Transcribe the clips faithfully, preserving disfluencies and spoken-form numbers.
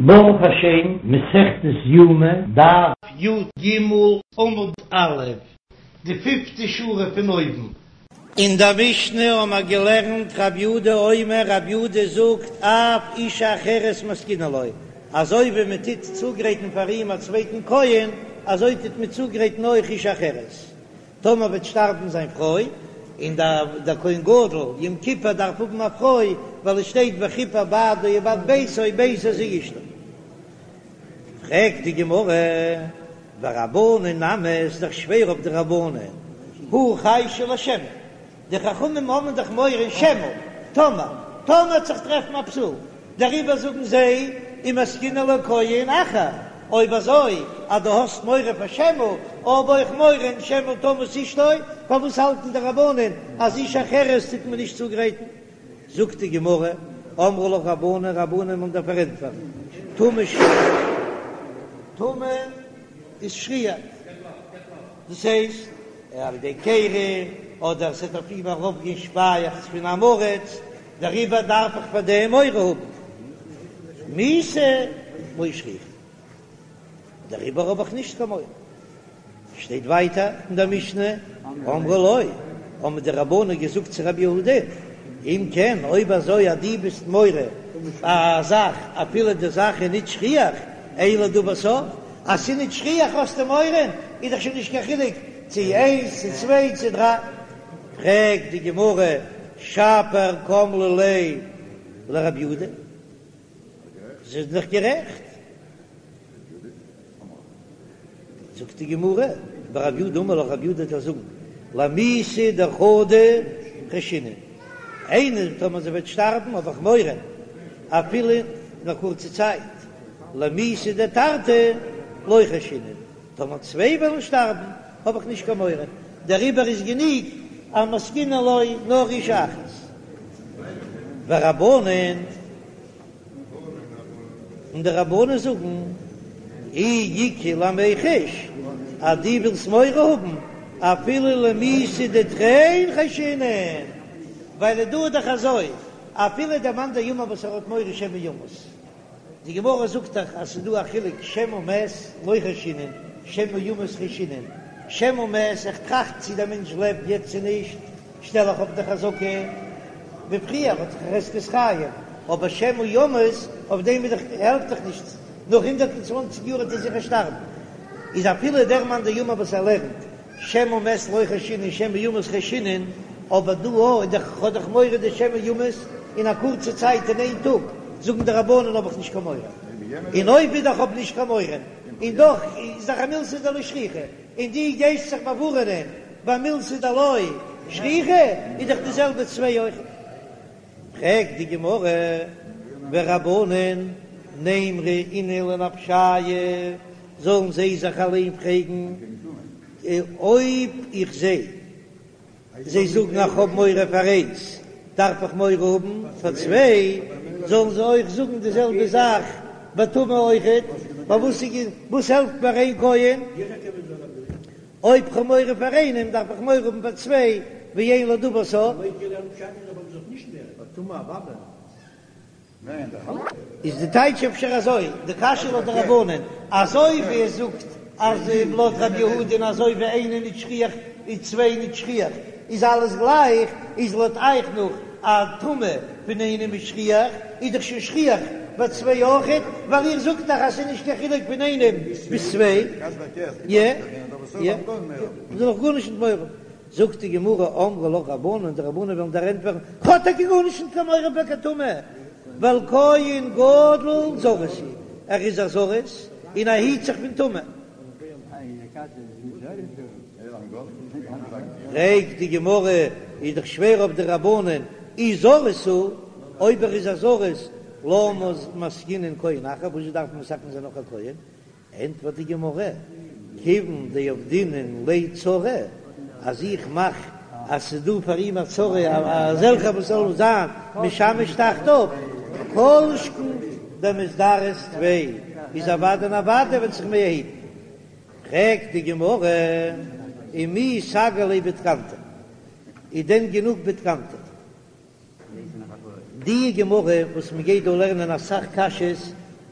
ברוך השם, מסכת יומא, דף י"ג עמוד א', די פיפטע שורה פון אויבן. אין דער משנה האבן מיר געלערנט רב יהודה אומר, רב יהודה זאגט אף אישה אחרת מתקינין לו, אזוי ווי מען טוט צוגרייטן פאר אים א צווייטן כהן, אזוי טוט מען צוגרייטן אויך אישה אחרת. טאמער וועט שטארבן זיין פרוי, און דער כהן גדול יום כיפור דארף האבן א פרוי, ווייל עס שטייט וכפר בעדו ובעד ביתו, ביתו זו אשתו. פרעגט די גמרא, ורבנן נמי, עס איז דאך שווער אויף די רבנן, הא חיישי לשמא, די חכמים האבן דאך מורא שמא, טאמער, טאמער וועט זיך טרעפן א פסול, דעריבער זאגן זיי ומתקינין לו כהן אחר, אויב אזוי אז דו האסט מורא פאר שמא, האב אויך מורא אין שמא תמות אשתו, פארוואס האלטן די רבנן אז אישה אחרת טוט מען נישט צוגרייטן? זאגט די גמרא, אמרי לך רבנן, רבנן וועלן דיר פארענטפערן, טומאה שכיחא, טומאה איז שכיח, דאס הייסט על ידי קרי, אדער ס'עט אויף אים ארויפגיין שפייעכץ פון עם הארץ, דעריבער דארף איך פאר דעם מורא האבן מיתה לא שכיחא, דעריבער האב איך נישט קיין מורא. שטייט ווייטער אין דער משנה, אמרו לו, האבן די רבנן געזאגט צו רבי יהודה, אם כן, אויב אזוי אז דו ביסט מורה א זאך אפילו די זאך איז נישט שכיח, אין לדבר סוף, אז ס'איז נישט שכיח האסטו מורא, איז דאך שוין נישט קיין חילוק צו איינס צו צוויי צו דריי. פרעגט די גמרא, שפיר קאמרי ליה לרבי יהודה, זיי זענען דאך גערעכט. זאגט די גמרא, ורב יהודה אמר לך, רב יהודה וועט דיר זאגן, למיתה דחדא חיישינן, איינער טאמער זי וועט שטארבן האב איך מורא, אפילו אין א קורצע צייט, למיתה דתרתי לא חיישינן, טאמער צוויי וועלן שטארבן האב איך נישט קיין מורא, דעריבער איז גענוג אז מתקינין לו נאר אישה אחת. ורבנן, און די רבנן זאגן, אי איכא למיחש, אז דו ווילסט מורא האבן אפילו למיתה דתרין חיישינן, ווייל דא איז דאך אזוי, אפילו דער מאן דאמר וואס ער האט מורא שמא ימות, די גמרא זאגט דאך אז ס'איז דא א חילוק שמא מת לא חיישינן, שמא ימות חיישינן, שמא מת, איך טראכט צי דער מענטש לעבט יעצט צו נישט, שטעל איך אויף די חזקה ווי פריער האט זיך חזקת חיים, אבער שמא ימות אויף דעם איז דאך העלפט דאך נישט, נאך הונדערט און צוואנציג יאר וועט ער זיכער שטארבן, איז אפילו דער מאן דאמר וואס ער לערנט שמא מת לא חיישינן שמא ימות חיישינן, אבער דא אוי דאך האב איך מורא דשמא ימות אין א קורצע צייט אין איין טאג, זאגן די רבנן האב איך נישט קיין מורא, און אויב איז דאך האב נישט קיין מורא, און דאך איז דאך א מילתא דלא שכיחא, און דו גייסט זיך באווארענען ביי מילתא דלא שכיחא, איז דאך די זעלבע צוויי אויך. פרעגט די גמרא, ורבנן נימרו אינהו לנפשייהו, זאלן זיי זיך אליין פרעגן, אויב איך זע זיי זאגן איך האב מורא פאר איינס, דארף איך מורא האבן פאר צוויי, זאלן זיי אויך זאגן די זעלבע זאך ביי טומאה אויכעט, פארוואס וואס העלפט מיר איין כהן? אויב כ'האב מורא פאר איינעם דארף איך מורא האבן פאר צוויי, ואין לדבר סוף. איז די טייטש אפשר אזוי, די קשיא לויט די רבנן, אזוי ווי עס זאגט אז לויט רבי יהודה'ן אזוי ווי איינער נישט שכיח איז צוויי נישט שכיח איז אלעס גלייך, איז לויט אייך נאך א טומאה פון איינעם איז שכיח איז דאך שוין שכיח ביי צוויי אויכעט, ווייל איר זאגט דאך אז ס'איז נישט קיין חילוק פון איינעם ביז צוויי. יע יע זאל איך גארנישט נישט מורא האבן. זאגט די גמרא, אמרי לך רבנן, די רבנן וועלן דיר ענטפערן, כ'האב טאקע גארנישט נישט קיין מורא פאר קיין טומאה, ווייל כהן גדול זריז הוא, ער איז א זריז און ער היט זיך פון טומאה. פרעגט די גמרא, איז דאך שווער אויף די רבנן, אי זריז הוא, אויב ער איז א זריז, למה מתקינין כהן אחר, וואס דארף מען מתקן זיין נאך א כהן? ענטפערט די גמרא, כיוון דעבדינן ליה צרה, אז איך מאך אז ס'איז דא פאר אים א צרה אזעלכע וואס זאלן זיין משמש תחתיו, כל שכן דמזדרז טפי, איז אוודאי און אוודאי וועט זיך מער היטן. פרעגט די גמרא, ומי סגי ליה בתקנתא, איז דען גענוג בתקנתא? די גמרא וואס מען גייט דא לערנען אסאך קשיות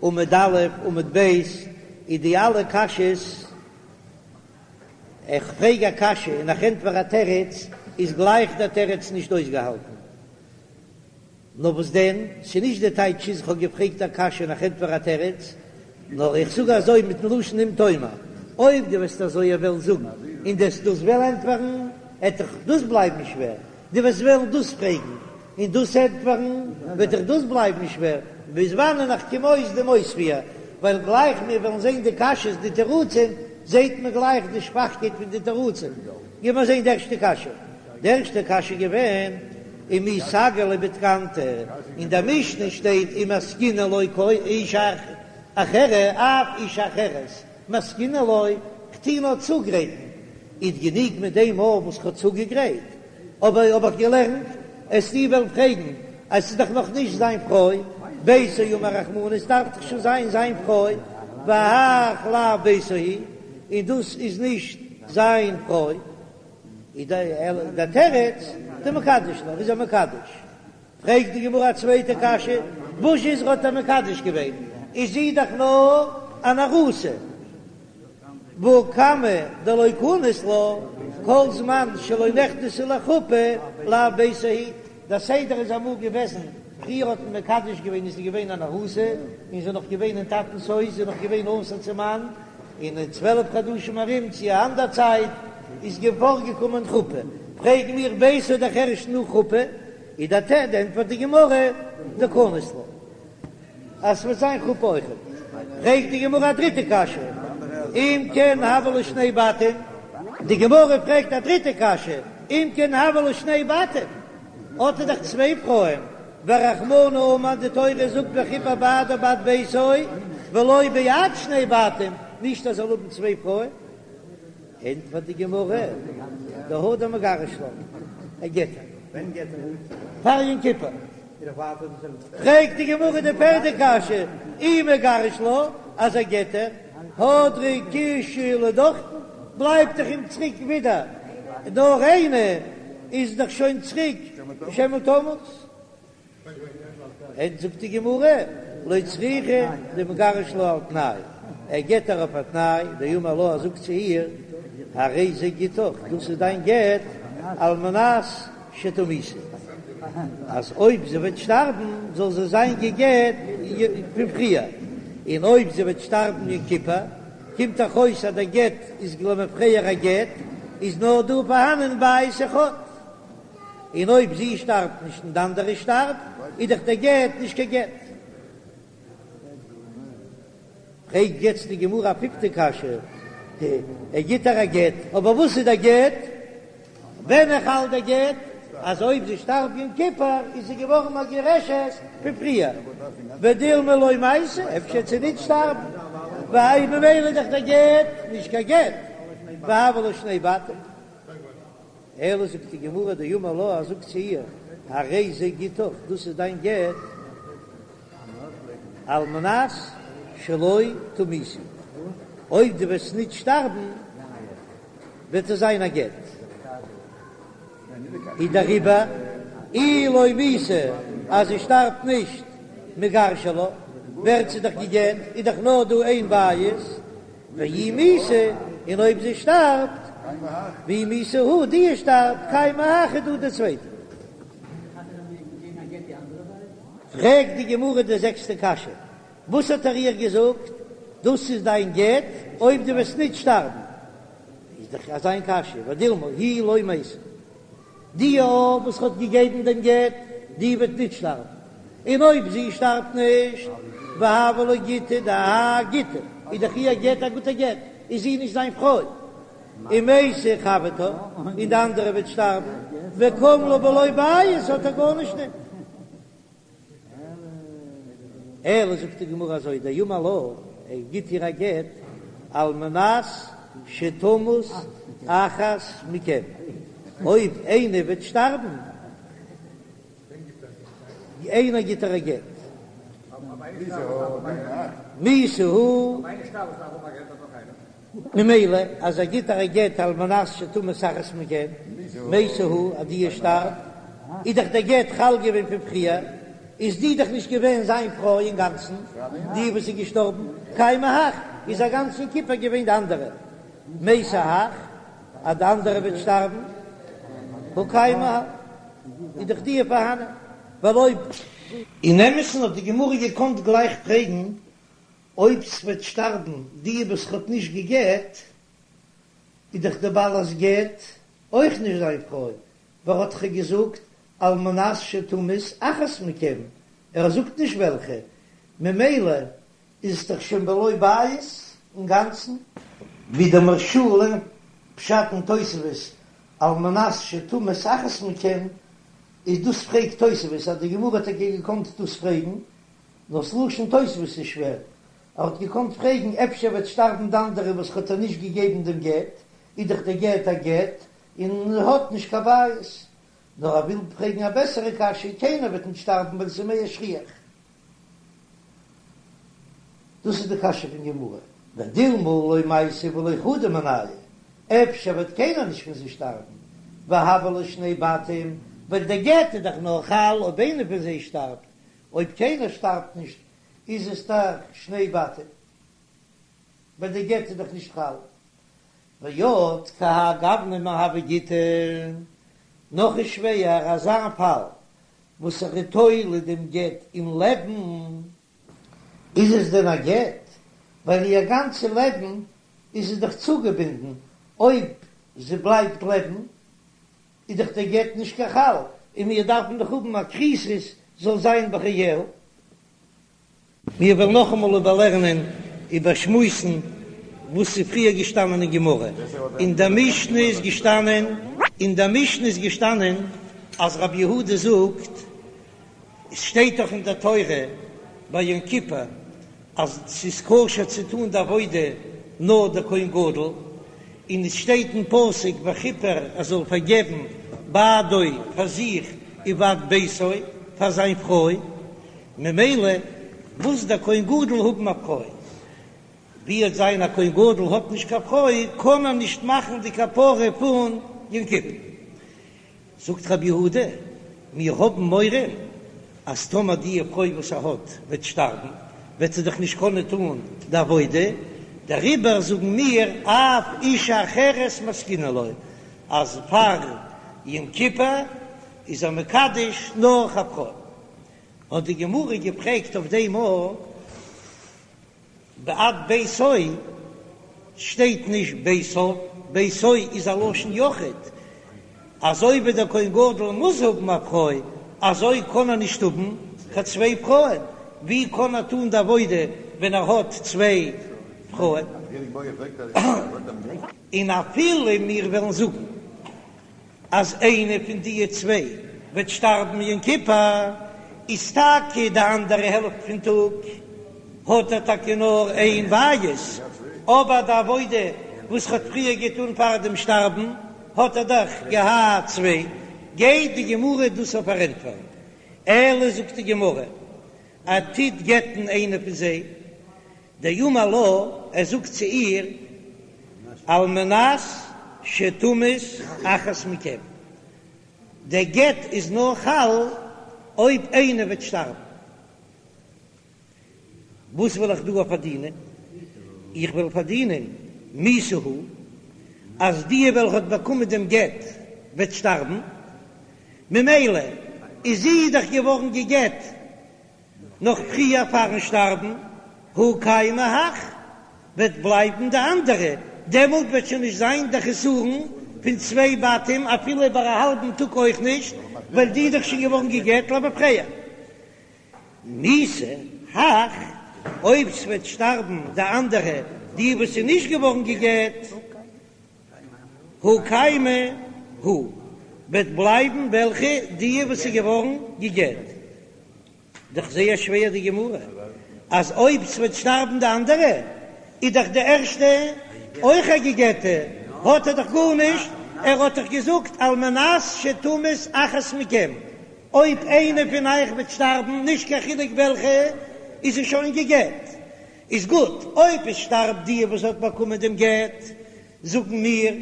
עמוד א', עמוד ב', איז די אלע קשיות, איך פרעג א קשיא און איך ענטפער א תירוץ, איז גלייך דער תירוץ נישט אויסגעהאלטן. נאר וואס דען, ס'איז נישט די טייטש איז איך האב געפרעגט א קשיא און איך ענטפער א תירוץ, נאר איך זאג אזוי מיטן לשון אם תאמר, אויב דו וועסט אזוי וועלן זאגן און דו וועסט דאס וועלן ענטפערן, עט דיך דאס בלייבן שווער, דו וועסט וועלן דאס פרעגן און דאס ענטפערן, וועט דיך דאס בלייבן שווער, ביז וואנען איך קום אויס דעם אויספיר, ווייל גלייך מיר וועלן זען די קשיות די תירוצים, זעט מען גלייך די שוואכקייט פון די תירוצים. גיב מיר זען די ערשטע קשיא. די ערשטע קשיא איז געווען, ומי סגי ליה בתקנתא, אין דער משנה שטייט ומתקינן לו אשה אחרת, אף אשה אחרת, מתקינן לו, כ'טו נאר צוגרייטן, איז גענוג מיט דעם מאל וואס כ'האב צוגעגרייט, אבער האב איך געלערנט, וועסטו וועלן פרעגן אז ס'איז דאך נאך נישט זיין פרוי, ביתו אמר רחמנא, עס דארף דאך שוין זיין זיין פרוי, והאך לאו ביתו היא, און דאס איז נישט זיין פרוי, איז דער תירוץ, דמקדש לה, איז ער מקדש. פרעגט די גמרא א צווייטע קשיא, וואס איז האט ער מקדש געווען, איז זי דאך נאר אן ארוסה, והא כמה דלא כנס לה, כל זמן שלא נכנסה לחופה לאו ביתו היא, דער סדר איז אמאל געוועזן, פריער האט מען מקדש געווען איז זי געווען אן ארוסה, און זי איז נאך געווען אין טאטנ'ס הויז, זי איז נאך געווען אסור צום מאן, און אין צוועלף חדשים ארום צו א אנדער צייט איז פארגעקומען חופה, פרעגן מיר ביתו דאך ערשט נאך חופה, איז דער ת ענטפערט די גמרא דכנס לה אז ס'וועט זיין חופה אויכעט, פרעגט די גמרא א דריטע קשיא, אם כן הוו לה שני בתים, די גמרא פרעגט א דריטע קשיא, אם כן הוו לה שני בתים, האט ער דאך צוויי פרויען, ורחמנא אמר די תורה זאגט וכפר בעדו ובעד ביתו ולא בעד שני בתים, נישט אז ער זאל האבן צוויי פרויען, ענטפערט די גמרא, דהדר מגרש לה, ער גט איר פאר יום כיפור. פרעגט די גמרא די פערדע קשיא, אי מגרש לה, אז ער גט איר, הדרא קושיא לדוכתן, בלייבט דאך אים צוריק ווידער נאר איינע, איז דאך שוין צוריק שמא תמות. ענט זאגט די גמרא, לא צריכא דמגרש לה על תנאי, ער גט איר אויף א תנאי, דאמר לה ער זאגט צו איר, הרי זה גיטך, דאס איז דיין גט, על מנת שתמותי, אז אויב זי וועט שטארבן זאל זי זיין גע'גט פון פריער, און אויב זי וועט שטארבן יום כיפור, קומט דאך אויס אז דער גט איז למפרע א גט, איז נאר דא פארהאנען בית אחד. און אויב זי שטארבט נישט און די אנדערע שטארבט, איז דאך דער גט נישט קיין גט. פרעגט יעצט די גמרא א פיפטע קשיא, ער גיט איר א גט, אבער וואס איז דער גט? ווען איז חל דער גט? אז אויב זי שטארבט יום כיפור איז זי געווארן מגורשת פון פריער, ודילמא לא מתה, אפשר וועט זי נישט שטארבן, והאי ממילא איז דאך דער גט נישט קיין גט, והוו לה שני בתים. אלא זאגט די גמרא דאמר לה, ער זאגט צו איר, הרי זה גיטך, דאס איז דיין גט, על מנת שלא תמותי, אויב דו וועסט ניט שטארבן, וועט עס זיין א גט. איז דעריבער, אי לא מיתה, אז זי שטארבט נישט, מיגרשא לה, ווערט זי דאך גע'גט, איז דאך נאר דא איין בית, ואי מיתה, און אויב זי שטארבט, ואי מיתה הא, די שטארבט, קיימא האי איז דא די צווייטע. פרעגט די גמרא די זעקסטע קשיא, וואס האט ער איר געזאגט, דאס איז דיין גט אויב דו וועסט ניט שטארבן? איז דאך אזא קשיא, ודילמא היא לא מתה. די א וואס האט געגעבן דעם גט, די וועט ניט שטארבן, און אויב זי שטארבט נישט, והוה לה גיטא דהאי גיטא, איז דאך איר גט א גוטע גט, איז זי נישט זיין פרוי, ומתה חברתה, און די אנדערע וועט שטארבן, וקם לה בלא בית, האט ער גארנישט ניט. אלא זאגט די גמרא אזוי, דאמר לה, ער גיט איר א גט על מנת שתמות אחת מכם, אויב איינער וועט שטארבן, איינער גיט איר א גט, מיתה הא. ממילא אז ער גיט איר א גט על מנת שתמות אחת מכם, מתה הא אז די שטארבט, איז דאך דער גט חל געווען פון פריער, איז די דאך נישט געווען זיין פרוי אינגאנצן, די וואס איז געשטארבן, קיימא הך, איז א גאנצן יום כיפור געווען די אנדערע, מתה הך, אז די אנדערע וועט שטארבן, הא קיימא הך, איז דאך די פארהאנען, ווייל אויב. אין אמת'ן האט די גמרא געקאנט גלייך פרעגן, אויב ס'וועט שטארבן די וואס ער האט נישט גע'גט, איז דאך די בעלת גט אויך נישט זיין פרוי, ווייל ער האט דאך געזאגט על מנת שתמות אחת מכם, ער זאגט נישט וועלכע, ממילא איז עס דאך שוין בלא בית אינגאנצן. ווי דער מהרש"א לערנט פשט אין תוספות על מנת שתמות אחת מכם, איז דאס פרעגט תוספות אז די גמרא האט טאקע געקאנט דאס פרעגן, נאר ס'לשון תוספות איז שווער, ער האט געקאנט פרעגן אפשר וועט שטארבן די אנדערע וואס האט ער נישט געגעבן דעם גט, איז דאך דער גט א גט און האט נישט קיין בית, נאר ער וויל פרעגן א בעסערע קשיא, קיינער וועט נישט שטארבן ווייל ס'איז מער שכיח. דאס איז די קשיא פון גמרא, ודילמא לא מייתי ולא חדא מינייהו, אפשר וועט קיינער נישט פון זיי שטארבן, והוו ליה שני בתים, ווייל דער גט איז דאך נאר חל אויב איינער פון זיי שטארבט, אויב קיינער שטארבט נישט איז עס דאך שני בתים, ווייל די גט איז דאך נישט חל. ועוד כהאי גוונא מיהוי גיטא, נאך איז שווער אזא פאל וואס ער איז תולה דעם גט אין לעבן, איז עס דען א גט? ווייל איר גאנצע לעבן איז זי דאך צוגעבינדן, אויב זי בלייבט לעבן איז דאך דער גט נישט קיין חל, און מיר דארפן דאך האבן א כריתות זאל זיין בחייה. מיר וועלן נאכאמאל איבערלערנען, איבערשמועסן וואס איז פריער געשטאנען אין גמרא. אין דער משנה איז געשטאנען, אין דער משנה איז געשטאנען אז רבי יהודה זאגט, עס שטייט דאך אין דער תורה ביי יום כיפור אז ס'איז כשר צו טון די עבודה נאר דער כהן גדול, און עס שטייט אין פסוק וכיפר ער זאל פארגעבן בעדו פאר זיך ובעד ביתו פאר זיין פרוי, ממילא מוז דער כהן גדול האבן א פרוי, ווי וועט זיין א כהן גדול האט נישט קיין פרוי קען ער נישט מאכן די כפרה פון יום כיפור. זאגט רבי יהודה, מיר האבן מורא אז טאמער די פרוי וואס ער האט וועט שטארבן, וועט זי דאך נישט קענען טון די עבודה, דעריבער זאגן מיר אף אישה אחרת מסקינן לו, אז פאר יום כיפור איז ער מקדש נאך א פרוי. האט די גמרא געפרעגט אויף דעם א. בעד ביתו שטייט נישט ביתו, ביתו איז א לשון יחיד, אזוי ווי דער כהן גדול מוז האבן א פרוי, אזוי קען ער נישט האבן קיין צוויי פרויען, ווי קען ער טון די עבודה ווען ער האט צוויי פרויען? און אפילו מיר וועלן זאגן אז איינע פון די צוויי וועט שטארבן יום כיפור, איז טאקע די אנדערע העלפט פון טאג האט ער טאקע נאר איין בית, אבער די עבודה וואס ער האט פריער געטון פאר דעם שטארבן האט ער דאך געהאט צוויי, גייט די גמרא דאס אויך פארענטפערן, אלא זאגט די גמרא, ער טוט גט'ן איינע פון זיי, דאמר לה, ער זאגט צו איר, על מנת שתמות אחת מכם, דער גט איז נאר חל אויב איינער וועט שטארבן. וואס וועל איך דא פארדינען? איך וועל פארדינען מיתה הא, אז די וועלכע האט באקומען דעם גט וועט שטארבן, ממילא איז זי דאך געווארן גע'גט נאך פריער פארן שטארבן, הא קיימא הך, וועט בלייבן די אנדערע, דעמאלט וועט שוין נישט זיין דער חסרון פון צוויי בתים אפילו איבער א האלבן טאג אויך נישט, ווייל די איז דאך שוין געווארן גע'גט למפרע. מיתה הך, אויב ס'וועט שטארבן די אנדערע, די וואס איז נישט געווארן גע'גט, הא קיימא הא, וועט בלייבן וועלכע? די וואס איז געווארן גע'גט. דאך זייער שווער די גמרא, אז אויב ס'וועט שטארבן די אנדערע, איז דאך די ערשטע אויך א גע'גט'ע, האט ער דאך גארנישט, ער האט דאך געזאגט על מנת שתמות אחת מכם, אויב איינע פון אייך וועט שטארבן, נישט קיין חילוק וועלכע, איז זי שוין גע'גט. איז גוט, אויב עס שטארבט די וואס האט באקומען דעם גט, זאגן מיר,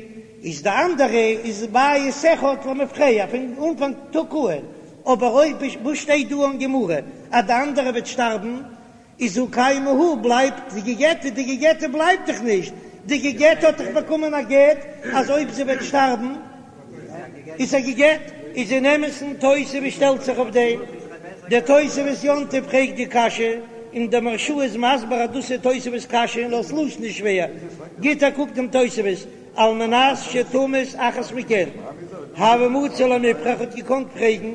איז די אנדערע איז בית אחד למפרע פון אנפאנג טאג אן, אבער אויב וואס שטייט דא אין גמרא אז די אנדערע וועט שטארבן איז הא קיימא הא בלייבט די געגעטע, די געגעטע בלייבט דאך נישט, די געגעטע האט דאך באקומען א גט אז אויב זי וועט שטארבן איז זי געגעט, איז אין אמת'ן תוספות שטעלט זיך אויף דעם, דער תוספות יום טוב פרעגט די קשיא און דער מהרש"א איז מסביר אז דאס איז תוספות קשיא און דאס לשון איז שווער, גיט א קוק דעם תוספות על מנת שתמות אחת מכן, הוה מצי למיפרך האט געקאנט פרעגן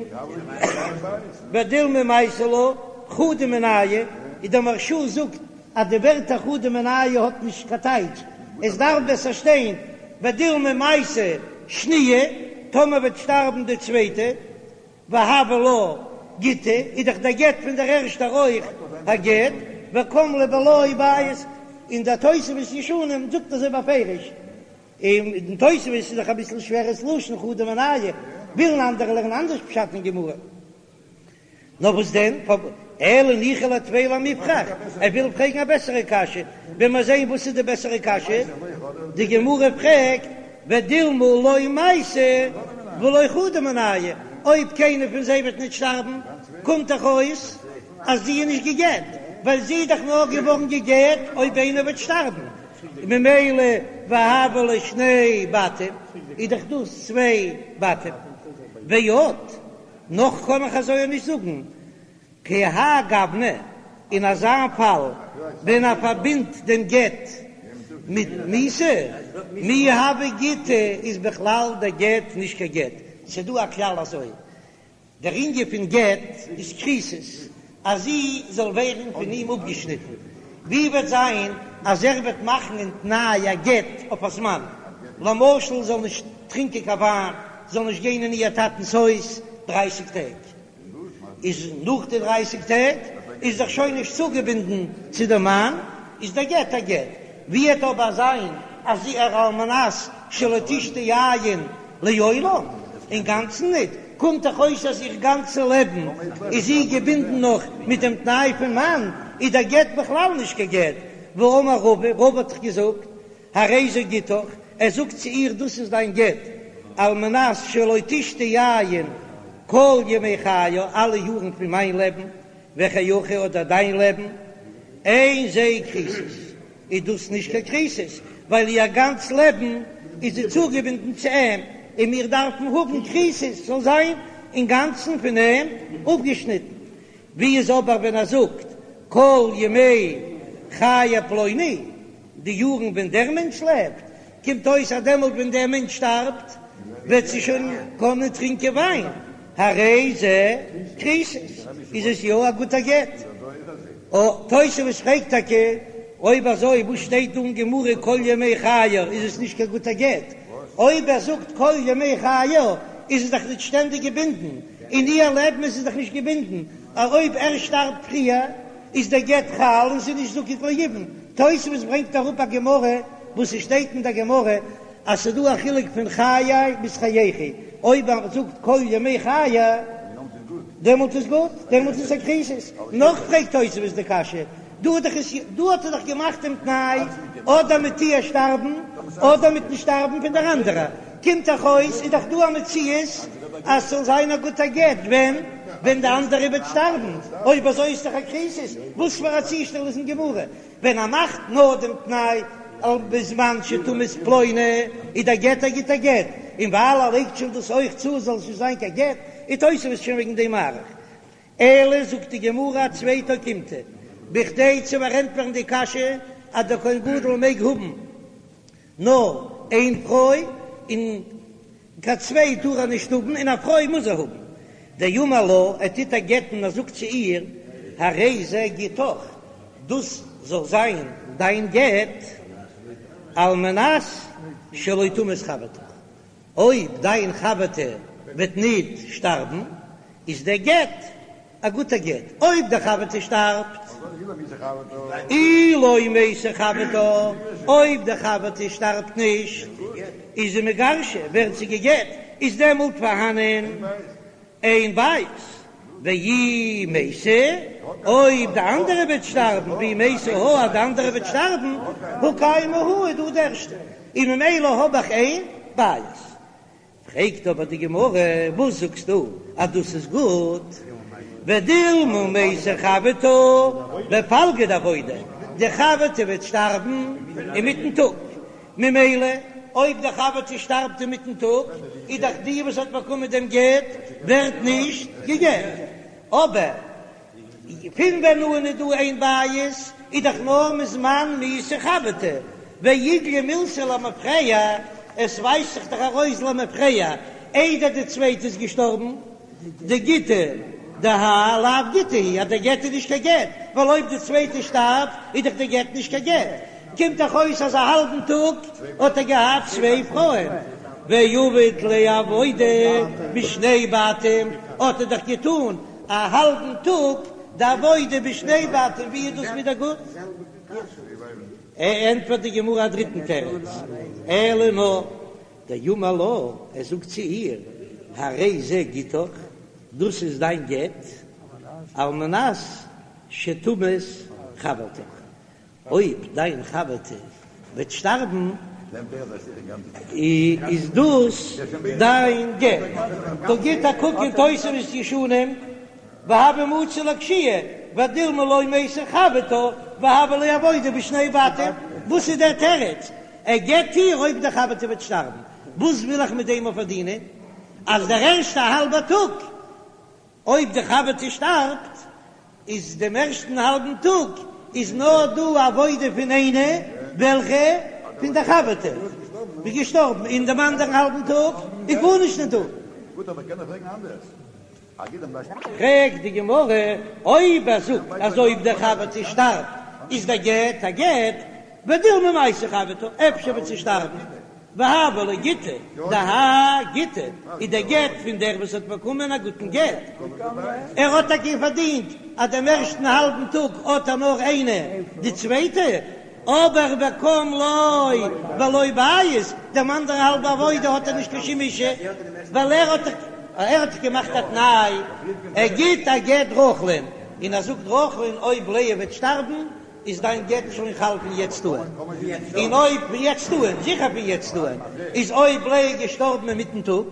ודילמא מייתא לה חדא מינייהו, איז דער מהרש"א זאגט אז די ווערטער חדא מינייהו האט נישט קיין טייטש, עס דארף בעסער שטיין ודילמא מייתא שניה, טאמער וועט שטארבן די צווייטע, והוה לה גיטא, איז דאך דער גט פון דער ערשטער אויך א גט, וקם ליה בלא בית, און דער תוספות ישנים זאגט אזוי בפירוש, און אין תוספות איז דאך אביסל שווער ס'לשון חדא מינייהו, ווילן אנדערע לערנען אנדערש פשט אין גמרא. נאר וואס דען? אלא ניחא ליה טפי למיפרך, ער וויל פרעגן א בעסערע קשיא, ווען מיר זעען וואס איז די בעסערע קשיא, די גמרא פרעגט ודילמא לא מייתא ולא חדא מינייהו, אויב קיינער פון זיי וועט נישט שטארבן, קומט דאך אויס אז זי איז נישט גע'גט, ווייל זי איז דאך נאר געווארן גע'גט אויב איינער וועט שטארבן, ממילא והוו ליה שני בתים, איז דאך דאס צוויי בתים, ועוד. נאך קען איך אזוי נישט זאגן, כי האי גוונא, אין אזא פאל ווען ער פארבינדט דעם גט מיט מיתה, מי הוי גיטא איז בכלל דער גט נישט קיין גט, ס'דא א כלל אזוי, דער ענין פון גט איז כריתות, אז זי זאל ווערן פון אים אפגעשניטן, ווי וועט זיין אז ער וועט מאכן אין תנאי א גט אויף א זמן, למשל זאל נישט טרינקען קיין וויין, זאל נישט גיין אין איר טאטנ'ס הויז דרייסיג טעג, איז נאך די דרייסיג טעג איז דאך שוין נישט צוגעבינדן צו דעם מאן, איז דער גט א גט, ווי וועט אבער זיין אז זי ער על מנת שלא תשתה יין לעולם? אינגאנצן ניט, קומט דאך אויס אז איר גאנצע לעבן איז זי געבינדן נאך מיט דעם תנאי פון מאן, איז דער גט בכלל נישט קיין גט. והאמר רבא, רבא האט דאך געזאגט, הרי זה גיטך, ער זאגט צו איר דאס איז דיין גט, על מנת שלא תשתי יין כל ימי חיי, אלע יארן פון מיין לעבן, וחייך אדער דיין לעבן, אין זה כריתות. איז דאס נישט קיין כריתות, ווייל איר גאנץ לעבן איז זי צוגעבינדן צו אים, און מיר דארפן האבן כריתות זאל זיין אינגאנצן פון אים אפגעשניטן. ווי איז אבער ווען ער זאגט כל ימי חיי פלוני, די יארן ווען דער מענטש לעבט, קומט אויס אז דעמאלט ווען דער מענטש שטארבט וועט זי שוין קענען טרינקען וויין, הרי זה כריתות, איז עס יא א גוטער גט. או, תוספות פרעגט טאקע, אויב אזוי וואס שטייט דא אין גמרא כל ימי חיי איז עס נישט קיין גוטער גט? אויב ער זאגט כל ימי חיי איז עס דאך נישט שטענדיג געבינדן, אין איר לעבן איז עס דאך נישט געבינדן, אויב ער שטארבט פריער איז דער גט חל און ס'איז נישט זקוק ליבום. תוספות ברענגט אראפ א גמרא וואס ס'שטייט אין דער גמרא אז ס'איז דא א חילוק פון חיי ביז חייכי, אויב ער זאגט כל ימי חיי דעמאלט איז גוט, דעמאלט איז עס א כריתות. נאך פרעגט תוספות די קשיא, דא האט דאך עס דא האט ער דאך געמאכט דעם תנאי אדער מיט איר שטארבן אדער מיטן שטארבן פון דער אנדערע, קומט דאך אויס איז דאך דא א מציאות אז ס'זאל זיין א גוטע גט ווען ווען די אנדערע וועט שטארבן, אויב אזוי איז דאך א כריתות, וואס פאר א צושטעל איז אין גמרא ווען ער מאכט נאר דעם תנאי על בזמן שתמות פלוני איז דער גט א גוטע גט, און ווייל ער לייגט שוין דאס אויך צו זאל עס נישט זיין קיין גט, איז תוספות שוין וועגן דעם מאריך. אלא זאגט די גמרא א צווייטע אוקימתא, בכדי צו פארענטפערן די קשיא אז דער כהן גדול מעג האבן נאר איין פרוי און קיין צוויי טאר ער נישט האבן און א פרוי מוז ער האבן, דאמר לה, ער טוט איר גט'ן ער זאגט צו איר, הרי זה גיטך, דאס זאל זיין דיין גט, על מנת שלא תמות חברתך, אויב דיין חבר'טע וועט ניט שטארבן, איז דער גט א גוטער גט, אויב די חבר'טע שטארבט, אי לא מתה חברתה, אויב די חבר'טע שטארבט נישט, איז זי מגרשה, ווערט זי גע'גט, איז דעמאלט פארהאנען איין בית, ואי מתה, אויב די אנדערע וועט שטארבן, ואי מתה הא, אז די אנדערע וועט שטארבן, הא קיימא הא, איז דא די ערשטע, און ממילא האב איך איין בית. פרעגט אבער די גמרא, וואס זאגסטו אז דאס איז גוט? ודילמא מתה חברתה בפלגא דעבודה, די חבר'טע וועט שטארבן אינמיטן טאג, ממילא אויב די חבר'טע שטארבט אינמיטן טאג, איז דאך די וואס האט באקומען דעם גט ווערט נישט גע'גט, אבער פון ווען אן איז דא איין בית איז דאך נאר מזמן מיתת חברתה, ואיגליא מילתא למפרע, עס ווייזט זיך דאך ארויס למפרע איידער די צווייטע איז געשטארבן, דגיטא דהאי לאו גיטא הוא, אז דער גט איז נישט קיין גט, ווייל אויב די צווייטע שטארבט איז דאך דער גט נישט קיין גט, קומט דאך אויס אז א האלבן טאג האט ער געהאט צוויי פרויען, ועביד ליה עבודה בשני בתים האט ער דאך געטאן א האלבן טאג די עבודה בשני בתים, ווי איז דאס ווידער גוט? ענטפערט די גמרא א דריטן תירוץ, אלא נאר דאמר לה, ער זאגט צו איר, הרי זה גיטך, דאס איז דיין גט, על מנת שתמות חברתך, אויב דיין חבר'טע וועט שטארבן, איז דאס דיין גט. דא גיט א קוק אין תוספות ישנים, והוה מצי לאקשויי, ודילמא לא מתה חברתה, והוה ליה עבודה בשני בתים. וואס איז דער תירוץ? ער גט איר אויב די חבר'טע וועט שטארבן. וואס וויל איך מיט דעם אויף פארדינען? אז דער ערשטע האלבע טאג אויב די חבר'טע שטארבט איז דעם ערשטן האלבן טאג איז נאר דא עבודה פון איינע וועלכע פון די חבר'טע איז געשטארבן און דעם אנדערן האלבן טאג איז גארנישט נישט דא. פרעגט די גמרא, אויב ער זאגט אז אויב די חבר'טע שטארבט איז דער גט א גט, ודילמא מתה חברתה, אפשר וועט זי שטארבן, והוה ליה גיטא דהאי גיטא איז דער גט פון דער וואס האט באקומען א גוטן גט, ער האט טאקע פארדינט אז דעם ערשטן האלבן טאג האט ער נאר איינע די צווייטע, אבער וקם ליה בלא בית, דעם אנדערן האלבע עבודה האט ער נישט קיין שום אשה, ווייל ער האט ער האט געמאכט א תנאי, ער גיט א גט רחל'ן, און ער זאגט רחל'ן אויב לאה וועט שטארבן איז דיין גט שוין חל פון יעצט אן, און אויב פון יעצט אן, זיכער פון יעצט אן, איז אויב לאה איז געשטארבן אינמיטן טאג,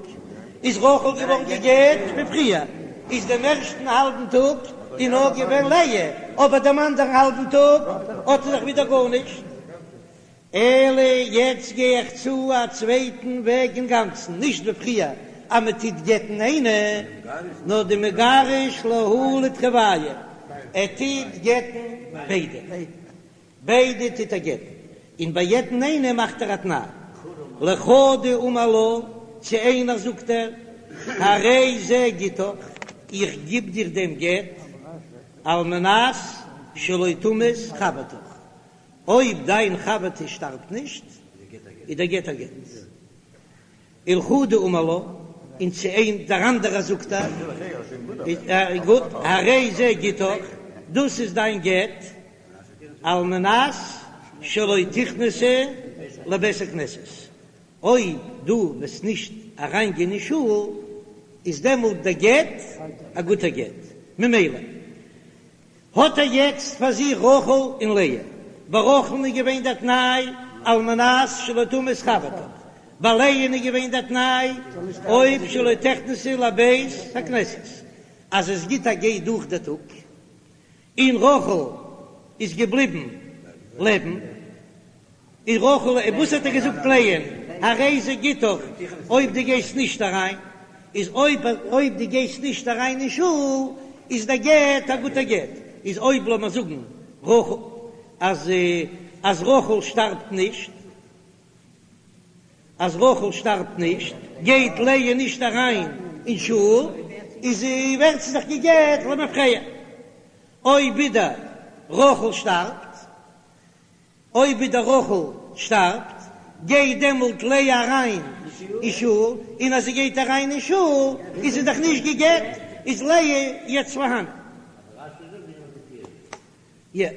איז רחל געווארן גע'גט פון פריער, איז דעם ערשטן האלבן טאג איז נאר געווען לאה, אבער דעם אנדערן האלבן טאג האט ער זיך ווידער גארנישט. אלא יעצט גיי איך צו א צווייטן וועג אינגאנצן, נישט ווי פריער אז מען טוט גט'ן איינע, נאר דמגרש להו לתרוייהו, ער טוט גט'ן ביידע, ביידע טוט ער גט'ן, און ביי יעדן איינעם מאכט ער א תנאי, לחדא אמר לה, צו איינער זאגט ער, הרי זה גיטך, איך גיב דיר דעם גט, על מנת שלא תמות חברתך, אויב דיין חבר'טע שטארבט נישט, איז דער גט א גט. ולחדא אמר לה, און צו איין דער אנדערער זאגט ער, גוט, הרי זה גיטך, דאס איז דיין גט, על מנת שלא תכנסי לבית הכנסת, אויב דו וועסט נישט אריינגיין אין שול, איז דעמאלט דער גט א גוטער גט, ממילא האט ער יעצט פאר זיך רחל און לאה. ביי רחל'ן איז געווען דער תנאי על מנת שלא תמות חברתך, ביי לאה'ן איז געווען דער תנאי אויב שלא תכנסי לבית הכנסת, אז עס גיט א גיי דורך דער טאג און רחל איז געבליבן לעבן. און רחל, און וואס האט ער געזאגט לאה'ן, הרי זה גיטך, אויב דו גייסט נישט אריין, איז אויב אויב דו גייסט נישט אריין אין שול, איז דער גט א גוטער גט, איז אויב לאמיר זאגן רחל, אז אז רחל שטארבט נישט, אז רחל שטארבט נישט, גייט לאה נישט אריין אין שול, איז זי ווערט זי דאך גע'גט למפרע, אויב ווידער רחל שטארבט. אויב ווידער רחל שטארבט, גייט דעמאלט לאה אריין אין שול, און אז זי גייט אריין אין שול איז זי דאך נישט גע'גט, איז לאה יעצט פארהאן. יא.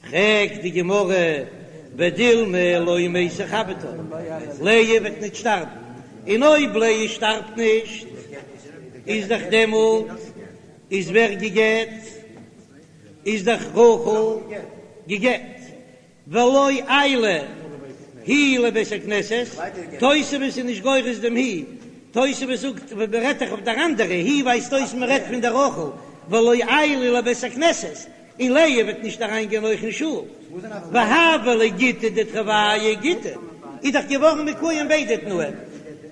פרעגט די גמרא, ודילמא לא מתה חברתה, לאה וועט נישט שטארבן, און אויב לאה שטארבט נישט, איז דאך דעמאלט איז ווער גע'גט? איז דאך רחל גע'גט, ולא עיילה היא לבית הכנסת, תוספות איז נישט גורס דעם היא, תוספות זאגט מען רעדט דאך אויף דער אנדערע, היא ווייזט אויס מען רעדט פון דער רחל, ולא עיילה לבית הכנסת, און לאה וועט נישט אריין גיין אויך אין שול, והוה ליה גיטא דתרוייהו גיטא, איז דאך געווארן מקוים ביידע תנאים,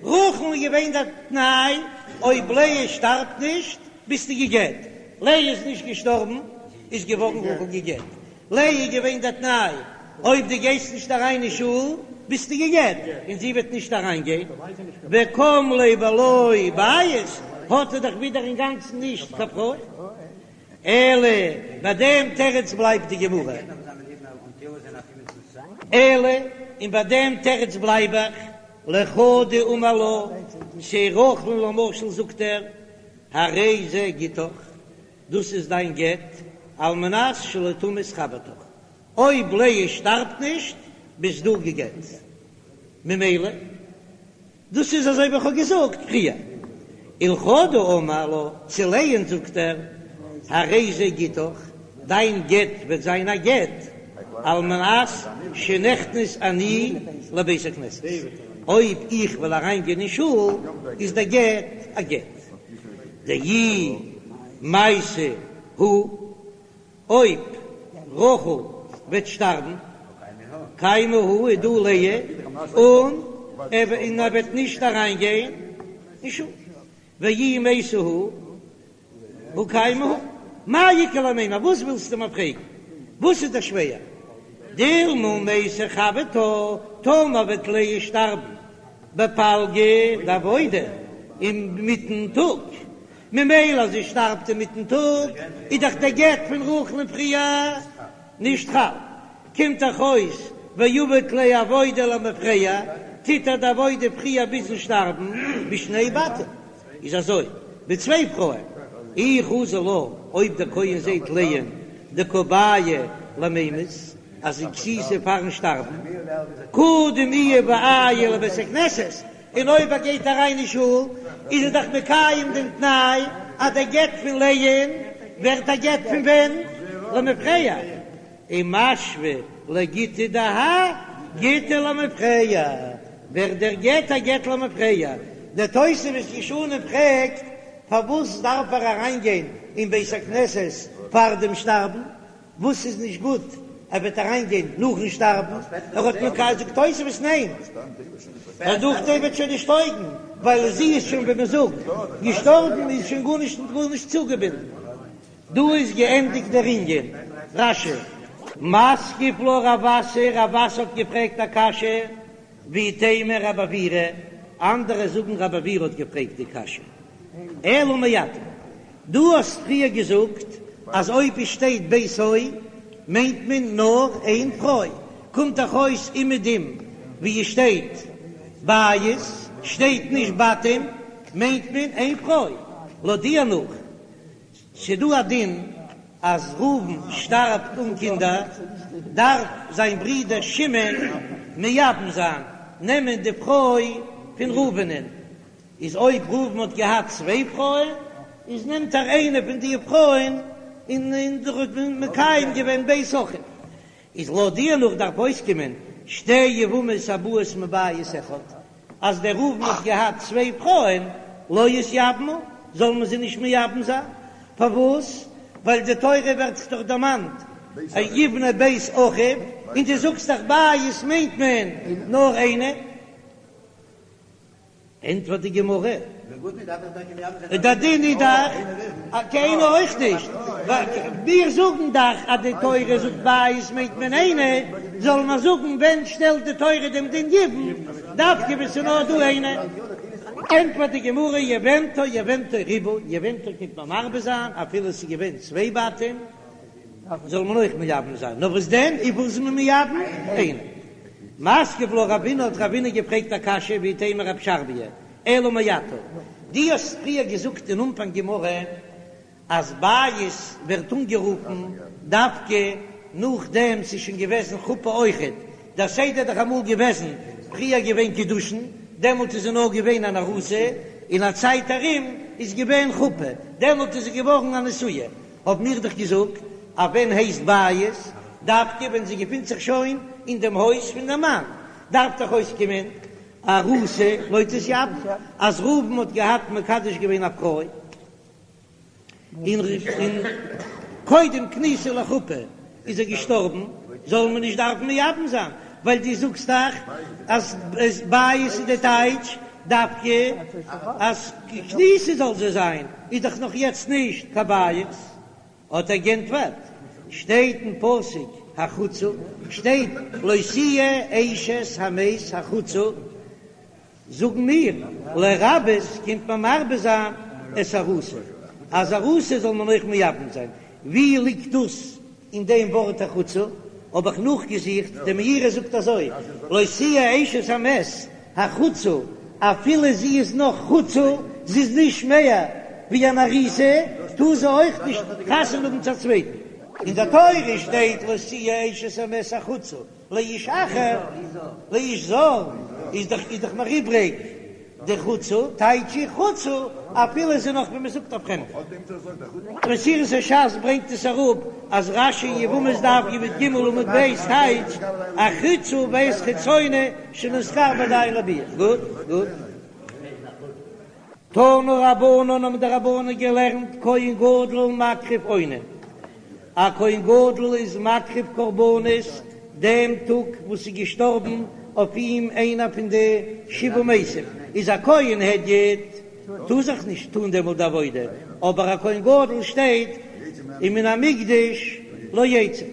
רחל איז געווען דער תנאי אויב לאה שטארבט נישט ביסטו גע'גט, לאה איז נישט געשטארבן איז געווארן רחל גע'גט, לאה איז געווען דער תנאי אויב דו גייסט נישט אריין אין שול ביסטו גע'גט, און זי וועט נישט אריין גיין, וקם ליה בלא בית, האט ער דאך ווידער אינגאנצן נישט קיין פרוי. אלא ביי דעם תירוץ בלייבט די גמרא. אלא און ביי דעם תירוץ בלייב איך, לחדא אמר לה, צו רחל'ן למשל זאגט ער, הרי זה גיטך, דאס איז דיין גט, על מנת שלא תמות חברתך, אויב לאה שטארבט נישט, ביסט דו גע'גט. ממילא. דאס איז אזוי ווי איך האב געזאגט פריער, ולחדא אמר לה, צו לאה'ן זאגט ער, הרי זה גיטך, דיין גט וועט זיין א גט, על מנת שנכנס אני לבית הכנסת, אויב איך וועל אריין גיין אין שול, איז דער גט א גט. דאי מייתא הא. אויב רחל וועט שטארבן, קיימא הא איז דא לאה, און און ער וועט נישט אריין גיין אין שול, ואי מייתא הא, הא קיימא הא, מאי איכא למימר, וואס ווילסטו מיר פרעגן, וואס איז דיר שווער, דילמא מייתא חברתה, טאמער וועט לאה שטארבן בפלגא דעבודה אינמיטן טאג, ממילא אז זי שטארבט אינמיטן טאג איז דאך דער גט פון רחל'ן פריער נישט חל, קומט דאך אויס ועביד ליה עבודה למפרע, טוט ער די עבודה פריער ביזן שטארבן בשני בתים, איז אזוי מיט צוויי פרויען, אי חזי לה, אויב דער כהן זעט לאה'ן דקא בעיא למימות אז זי גסיסה פארן שטארבן, קדים איהו ועייל לבית הכנסת, און אויב ער גייט אריין אין שול איז ער דאך מקיים דעם תנאי אז דער גט פון לאה'ן ווערט א גט פון ווען? למפרע, ומשוו לגיטא דהאי גיטא למפרע, ווערט דער גט א גט למפרע. דער תוספות ישנים פרעגט פארוואס דארף ער אריינגיין אין בית הכנסת פאר דעם שטארבן? וואס איז נישט גוט ער וועט אריין גיין נאכן שטארבן, ער האט מקיים זאגט תוספות ניין, ווייל נאכדעם וועט שוין נישט טויגן, ווייל זי איז שוין ווי מען זאגט געשטארבן איז שוין גארנישט גארנישט צוגעבינדן. דא איז געענדיגט דער ענין. רש"י. מתקיף לה רב אסי, רב אסי האט געפרעגט א קשיא, ואיתימא רב עוירא, אנדערע זאגן רב עוירא האט געפרעגט די קשיא, אלא מעתה, דו האסט פריער געזאגט אז אויב עס שטייט ביתו מיינט מען נאר איין פרוי, קומט דאך אויס אומעדום ווי עס שטייט בית שטייט נישט בתים מיינט מען איין פרוי, לויט דיר נאך ס'דא א דין אז ראובן שטארבט אן קינדער דארף זיין ברודער שמעון מייבם זיין, נעמען די פרוי פון ראובנ'ען, איז אויב ראובן האט געהאט צוויי פרויען איז נעמט ער איינע פון די פרויען און און האט מקיים געווען בית אחיו, איז לויט דיר נאך דארף אויסקומען שתי יבמות הבאות מבית אחד, אז דער ראובן האט געהאט צוויי פרויען לא יתייבמו זאל מען זיי נישט מייבם זיין, פארוואס? ווייל די תורה ווערט דאך דערמאנט יבנה בית אחיו, און דו זאגסט דאך בית מיינט מען נאר איינע. ענטפערט די גמרא, דער דין איז דאך קיינער אויך נישט, מיר זאגן דאך אז די תורה זאגט בית מיינט מען איינע, זאל מען זאגן ווען שטעלט די תורה דעם דין יבום, דווקא ווען ס'איז נאר דא איינע? ענטפערט די גמרא, יבמתו יבמתו ריבה, יבמתו קומט מען מרבה זיין אפילו ס'איז געווען צוויי בתים, זאל מען אויך מייבם זיין, נאר וואס דען, וויפיל איז מען מייבם? איינע. מתקיף לה רבינא האט רבינא געפרעגט א קשיא ואיתימא רב שרביא, אלא מעתה, דו האסט פריער געזאגט אין אנפאנג גמרא אז בית ווערט אנגערופן דווקא נאכדעם ס'איז שוין געוועזן חופה אויכעט, דער סדר איז דאך אמאל געוועזן, פריער געווען קידושין, דעמאלט איז זי נאר געווען אן ארוסה, אין א צייט ארום איז געווען חופה, דעמאלט איז זי געווארן א נשואה. האב מיר דאך געזאגט אז ווען הייסט בית דווקא ווען זי געפינט זיך שוין אין דעם הויז פון דעם מאן, דארף דאך אויסקומען ארוסה לא תתייבם, אז ראובן האט געהאט מקדש געווען א פרוי און קודם כניסה לחופה איז ער געשטארבן, זאל מען נישט דארפן מייבם זיין, ווייל דו זאגסט דאך אז בית איז די טייטש דווקא אז כניסה זאל זי זיין, איז דאך נאך יעצט נישט קיין בית. האט ער גענטפערט, שטייט אין פסוק החוצה, שטייט לא תהיה אשת המת החוצה, זאגן מיר, לרבות קומט מען מרבה זיין את הארוסה, אז ארוסה זאל מען אויך מייבם זיין, ווי ליגט דאס אין דעם ווארט החוצה? האב איך נאכגעזוכט, די מאירי זאגט אזוי, לא תהיה אשת המת החוצה, אפילו זי איז נאך חוצה, זי איז נישט מער ווי אן ארוסה, טאר זי אויך נישט חתונה האבן צו א צווייטן. אין די תורה שטייט לא תהיה אשת המת החוצה לאיש אחר, לאיש זר, איז דאך איז דאך נאר איבריג די חוצה, טייטש איך חוצה אפילו איז זי נאך ווי מען זאגט א פרעמדע. מסורת הש"ס ברענגט עס אראפ אז רש"י אין יבמות דף י"ג עמוד ב' טייטשט החוצה בית חיצונה שנתקרבה עדיין לביאה. גוט גוט. תנו רבנן האבן די רבנן געלערנט כהן גדול מקריב אונן, א כהן גדול איז מקריב קרבנות דעם טאג וואס איז געשטארבן אויף אים איינער פון די שבעה מתים, איז א כהן הדיוט טאר זיך נישט טאן דעמאלט די עבודה, אבער א כהן גדול שטייט ומן המקדש לא יצא.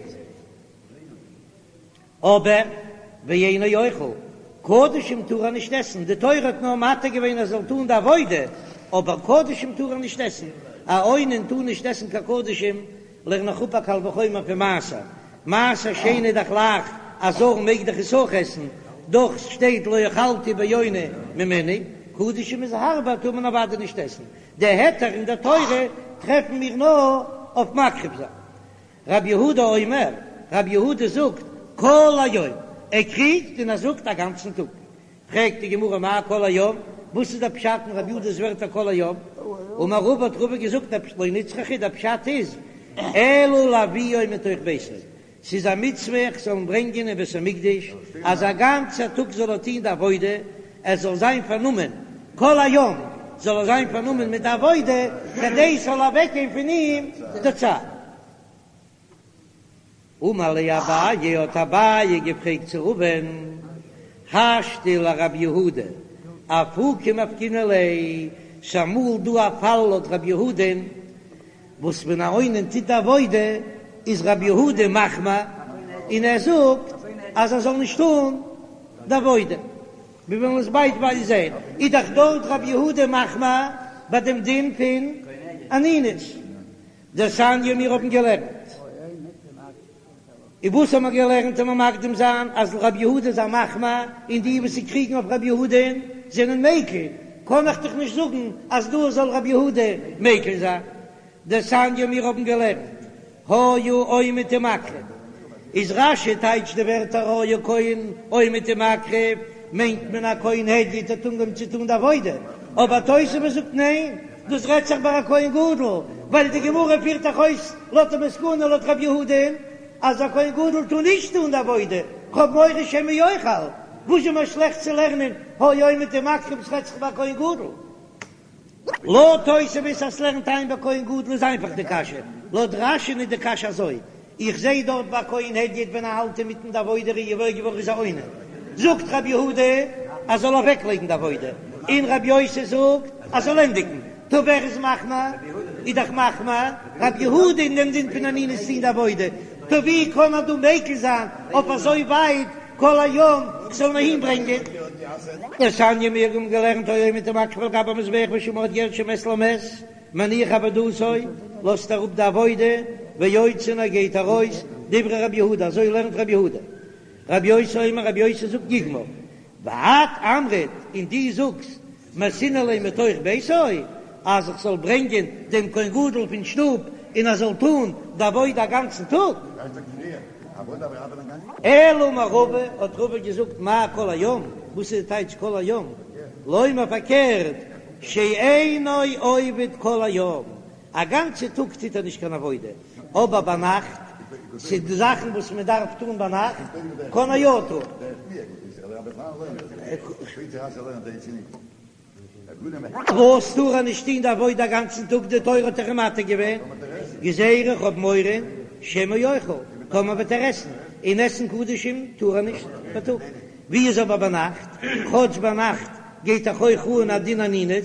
אבער ואינו אוכל, קדשים טאר ער נישט עסן, די תורה האט נאר מתיר געווען ער זאל טאן די עבודה, אבער קדשים טאר ער נישט עסן, א אונן טאר נישט עסן קיין קדשים, לערן איך אפ א קל וחומר פון מעשר, מעשר שני איז דאך לייכט, א זר מעג דאך עס אויך עסן, דאך שטייט לא אכלתי באוני ממנו, קדשים איז הארבער טאר מען אוודאי נישט עסן, די היתר אין די תורה טרעפן מיר נאר אויף מקריב זיין. רבי יהודה אומר, רבי יהודה זאגט, כל היום, ער קריגט און ער זאגט א גאנצן טאג. פרעגט די גמרא מאי כל היום, וואס איז דער פשט אין רבי יהודה'ס ווערטער כל היום? אמר רבא האט רבא געזאגט לא נצרכה דער פשט איז, אלא להביאו מתוך ביתו, ס'איז א מצוה איך זאל אים ברענגען אין בית המקדש, אז א גאנצער טאג זאל ער טון די עבודה, ער זאל זיין פארנומען כל היום זאל ער זיין פארנומען מיט די עבודה, כדי ס'זאל אוועקגיין פון אים די צער. אמר ליה אביי, האט אביי געפרעגט צו רבא'ן, השתא לרבי יהודה, אפוקי מפקינן ליה, ס'אמאל דא א פאל לויט רבי יהודה'ן, וואס ווען א אונן טוט די עבודה איז רבי יהודה מחמיר און ער זאגט אז ער זאל נישט טון די עבודה, מיר וועלן עס ביידווייז זען, איז דאך דארט רבי יהודה מחמיר ביי דעם דין פון אנינות, דתניא מיר האבן געלערנט. און וואס האבן מיר געלערנט און מיר מקדים זיין אז רבי יהודה איז א מחמיר און די וואס קריגן אויף רבי יהודה'ן זענען מיקל, קען איך דאך נישט זאגן אז דא זאל רבי יהודה מיקל זיין. דתניא מיר האבן געלערנט היה עומד ומקריב, איז רש"י טייטשט די ווערטער היה כהן עומד ומקריב מיינט מען א כהן הדיוט האט אנגעהויבן צו טון די עבודה, אבער תוספות זאגט ניין דאס רעדט זיך ביי א כהן גדול, ווייל די גמרא פירט דאך אויס לויט די מסקנא לויט רבי יהודה'ן אז א כהן גדול טאר נישט טון די עבודה, כ'האב מורא שמא יאכל, וואס איז מיר שלעכט צו לערנען היה עומד ומקריב ס'רעדט זיך ביי א כהן גדול? לויט תוספות אז ס'לערנט איין ביי כהן גדול איז איינפאך די קשיא, לויט רש"י'ן איז די קשיא אזוי, איך זעה דארט ביי כהן הדיוט ווען ער האלט אינמיטן די עבודה איז געוואויר געווארן איז א אונן, זאגט רבי יהודה אז זאל אוועק לייגן די עבודה, און רבי יוסי זאגט אז זאל ענדיגן, טא ווער איז מחמיר? איז דאך מחמיר רבי יהודה אין דעם דין פון אנינות טון די עבודה, טא ווי קען ער דא מיקל זיין אויף אזוי ווייט כל היום כ'זאל אים אהין ברענגען? דתניא מיר האבן געלערנט היה עומד ומקריב על גבי המזבח ושמע האט געהערט שמת למת מניח עבודתו, לאזט אראפ די עבודה, ויוצא און ער גייט ארויס, דברי רבי יהודה, אזוי לערנט רבי יהודה. רבי יוסי אומר, רבי יוסי זאגט יגמור. ואת אמרת, און דו זאגסט, מייתינא ליה מתוך ביתו, אז איך זאל ברענגען דעם כהן גדול פון שטוב און ער זאל טון די עבודה א גאנצן טאג. אלא אמר רבא, האט רבא געזאגט, מאי כל היום, וואס איז די טייטש כל היום? לומר פארקערט, שאינו עובד כל היום, א גאנצע טאג טוט ער נישט קיין עבודה, אבער ביינאכט ס'איז די זאכן וואס מען דארף טון ביינאכט קען ער יא טון. וואס טאר ער נישט טון די עבודה א גאנצן טאג, די תורה האט דאך אים מתיר געווען, גזירה איך האב מורא שמא יאכל, טאמער וועט ער עסן, און עסן קדשים טאר ער נישט בייטאג, ווי איז אבער ביינאכט, כאטש ביינאכט גייט דאך אויך אן א דין אנינות,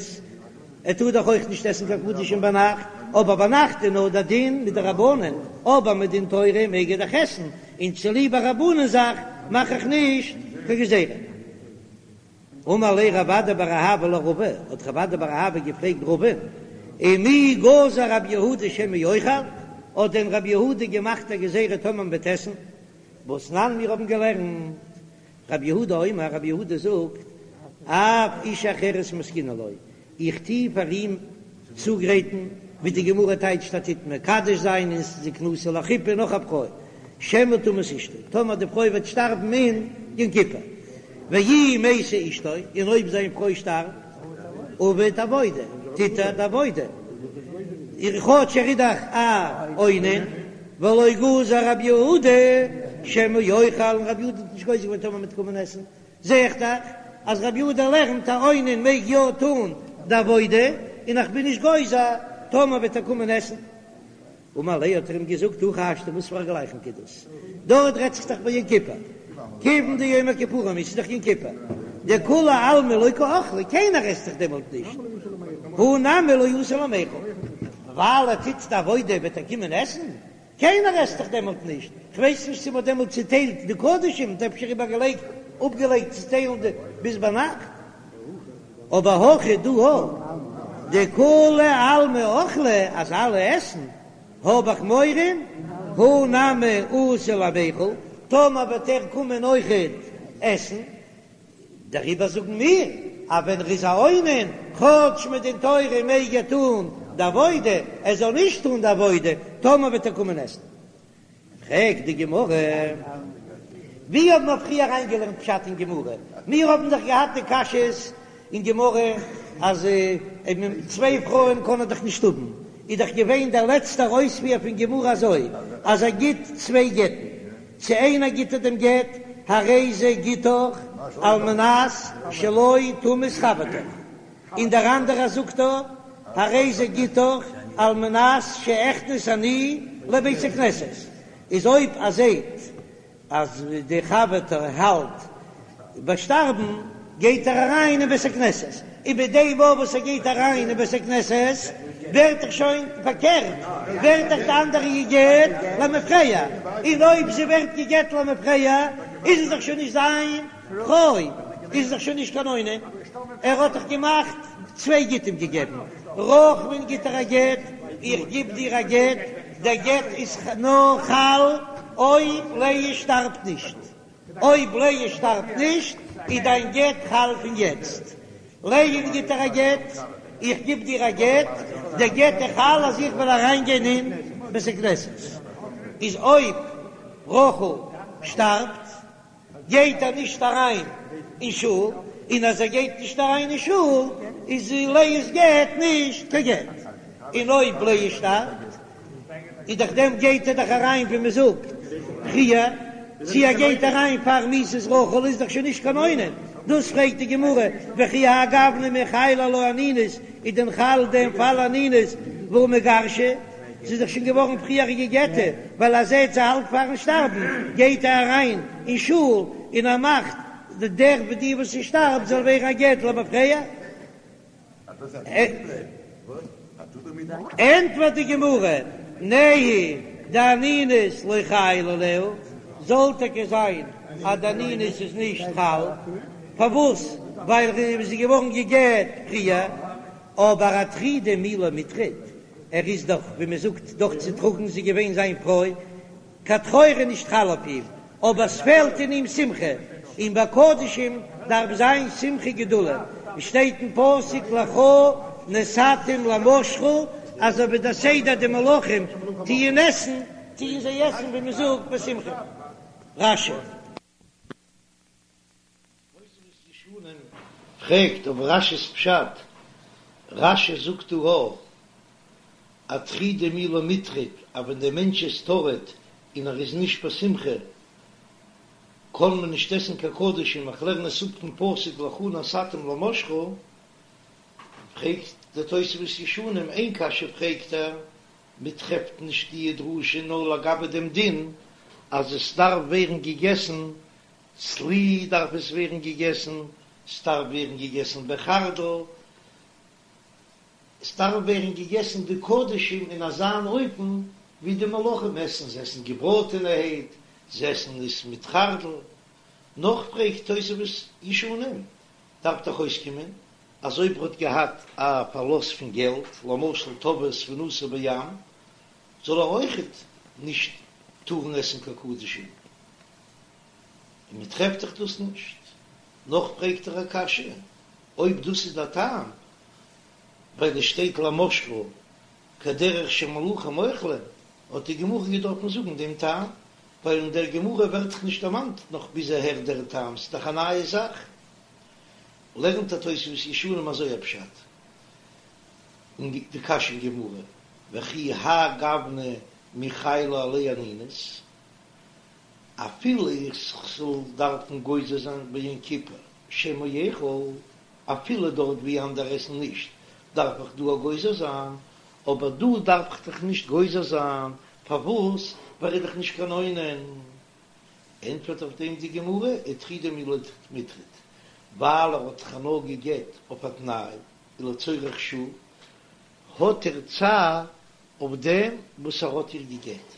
ער טאר דאך אויך נישט עסן קיין קדשים ביינאכט, אבער ביינאכט איז נאר דער דין מדרבנן, אבער מדין תורה מעג ער דאך עסן, און צוליב א רבנן זאך מאך איך נישט קיין גזירה. אמר ליה רב אדא בר אהבה לרבא, האט רב אדא בר אהבה געפרעגט רבא'ן, ומי גזר רב יהודה שמא יאכל, האט דען רב יהודה געמאכט א גזירה טאמער מ'וועט עסן? והתנן מיר האבן געלערנט, רב יהודה אומר, רב יהודה זאגט, אף אשה אחרת מתקינין לו, איך טוה פאר אים צוגרייטן, ווי די גמרא טייטשט ער טוט מקדש זיין און זקנותו לחופה נאך א פרוי, שמא תמות אשתו, טאמער די פרוי וועט שטארבן אין יום כיפור, ואי מתה אשתו, און אויב זיין פרוי שטארבט, עביד עבודה, טוט ער די עבודה, כאטש ער איז דאך א אונן, ולא גזר רב יהודה שמא יאכל, און רב יהודה האט נישט גוזר געווען טאמער מ'וועט קומען עסן, זע איך דאך אז רבי יהודה לערנט א אונן מעג יא טון די עבודה, און איך בין נישט גוזר טאמער וועט ער קומען עסן. אמר ליה האט ער אים געזאגט הכי השתא וואס פאר א גלייכונג איז דאס? דארט רעדט זיך דאך ביי יום כיפור, כיוון דיום הכיפורים איז דאך יום כיפור, דכולי עלמא לא קאכלי, קיינער עסט דאך דעמאלט נישט, הא נמי לא אתי למיכל, ווייל ער טוט די עבודה וועט ער קומען עסן? קיינער עסט דאך דעמאלט נישט, כ'ווייס נישט צו מ'האט דעמאלט צוטיילט די קדשים, מ'האט אפשר איבערגעלייגט אפגעלייגט צו טיילן די ביז ביינאכט, אבער הכא דא הא דכולי עלמא אכלי אז אלע עסן, האב איך מורא, הא נמי אתי למיכל, טאמער וועט ער קומען אויכעט עסן, דעריבער זאגן מיר אז ווען ער איז א אונן, כאטש מדין תורה מעג ער טון די עבודה, ער זאל נישט טון די עבודה, טאמער וועט ער קומען עסן. פרעגט די גמרא, ווי האבן מיר פריער אריינגעלערנט פשט אין גמרא? מיר האבן דאך געהאט די קשיות אין גמרא אז צוויי פרויען קען ער דאך נישט האבן, איז דאך געווען דער לעצטער אויספיר פון גמרא אזוי אז ער גיט צוויי גט'ן, צו איינער גיט ער דעם גט, הרי זה גיטך על מנת שלא תמות חברתך, און דער אנדערער זאגט ער, הרי זה גיטך על מנת שאכנס אני לבית הכנסת, איז אויב ער זעט אז די חבר'טע האלט ביי שטארבן, גייט ער אריין אין בית הכנסת, און מיט דעם מאל וואס ער גייט אריין אין בית הכנסת ווערט דאך שוין פארקערט, ווערט דאך די אנדערע גע'גט למפרע, און אויב זי ווערט גע'גט למפרע איז עס דאך שוין נישט זיין פרוי, איז עס דאך שוין נישט קיין אונן, ער האט דאך געמאכט צוויי גיטים געגעבן, רחל'ן גיט ער א גט, איך גיב דיר א גט, דער גט איז נאר חל אויב לאה שטארבט נישט. אויב לאה שטארבט נישט איז דיין גט חל פון יעצט. לאה'ן גיט ער א גט, איך גיב דיר א גט, דער גט איז חל אז איך וועל אריין גיין אין בית הכנסת. איז אויב רחל שטארבט גייט ער נישט אריין אין שול, און אז ער גייט נישט אריין אין שול איז לאה'ס גט נישט קיין גט. און אויב לאה שטארבט איז דורך דעם גייט ער דאך אריין ווי מען זאגט פריער, צו ער גייט אריין פאר מיתת רחל איז דאך שוין נישט קיין אונן, דאס פרעגט די גמרא, וכי האי גוונא מי חיילא עלה אנינות, איז דען חל דעם פאל אנינות והא מיגרשא, ס'איז דאך שוין געווארן פריער גע'גט'ע, ווייל ער זעט זי האלט פארן שטארבן גייט ער אריין אין שול און ער מאכט דער די וואס זי שטארבט זאל ווערן א גט למפרע. ענטפערט די גמרא, נהי דאנינות לא חיילא עליה, זאל טאקע זיין אז די אנינות איז נישט חל, פארוואס? ווייל זי איז געווארן גע'גט פריער, אבער אטרידי מי לא מיטריד, ער איז דאך ווי מען זאגט דאך צוטראגן, זי איז געווען זיין פרוי, קיין טרור איז נישט חל אויף אים, אבער ס'פעלט אין אים שמחה, און ביי קדשים דארף זיין שמחה גדולה, ווי שטייט אין פסוק לך נתתים למשחה, אזוי ווי דער סדר די מלכים טוען עסן, טוען זיי עסן ווי מ'זאגט בשמחה. רש"י. תוספות ישנים פרעגט אויף רש"י'ס פשט, רש"י זאגט דא אטרידי מי לא מיטריד אז ווען דער מענטש איז טרוד און ער איז נישט בשמחה, קען מען נישט עסן קיין קדשים, איך לערן עס אפ פון פסוק לך נתתים למשחה, פרעגט דער תוספות ישנים איין קשיא פרעגט ער, מען טרעפט נישט די דרשה נאר לגבי דעם דין אז עס דארף ווערן געגעסן צלי דארף עס ווערן געגעסן, ס'דארף ווערן געגעסן בחרדל, עס דארף ווערן געגעסן די קדשים אין אזאן אופן ווי די מלכים עסן, זיי עסן געבראטענערהייט, זיי עסן עס מיט חרדל. נאך פרעגט תוספות ישנים, דארף דאך אויסקומען אז אויב ער האט געהאט א פארלוסט פון געלט, למשל טבעה ספינתו בים, זאל ער אויכעט נישט טארן עסן קיין קדשים. און מען טרעפט דאך דאס נישט. נאך פרעגט ער א קשיא, אויב דאס איז דער טעם, ווייל עס שטייט למשחה כדרך שמלכים אוכלים, האט די גמרא געדארפן זאגן דעם טעם, ווייל אין דער גמרא ווערט דאך נישט דערמאנט נאך ביז אהער דער טעם, ס'איז דאך א נייע זאך. לערנט דער תוספות ישנים אזוי א פשט אין די קשיא אין גמרא, וכי האי גוונא מי חיילא עליה אנינות, אפילו איך זאל דארפן גוזר זיין ביום כיפור שמא יאכל, אפילו דארט ווי אנדערע עסן נישט דארף איך דא גוזר זיין, אבער דא דארף איך דאך נישט גוזר זיין, פארוואס? ווייל ער איז דאך נישט קיין אונן. ענטפערט אויף דעם די גמרא, איטרידי מי לא מיטריד, ווייל ער האט דאך נאר גע'גט אויף א תנאי, ולצורך שעה, האט ער צער אויף דעם וואס ער האט איר גע'גט.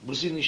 וואס איז נישט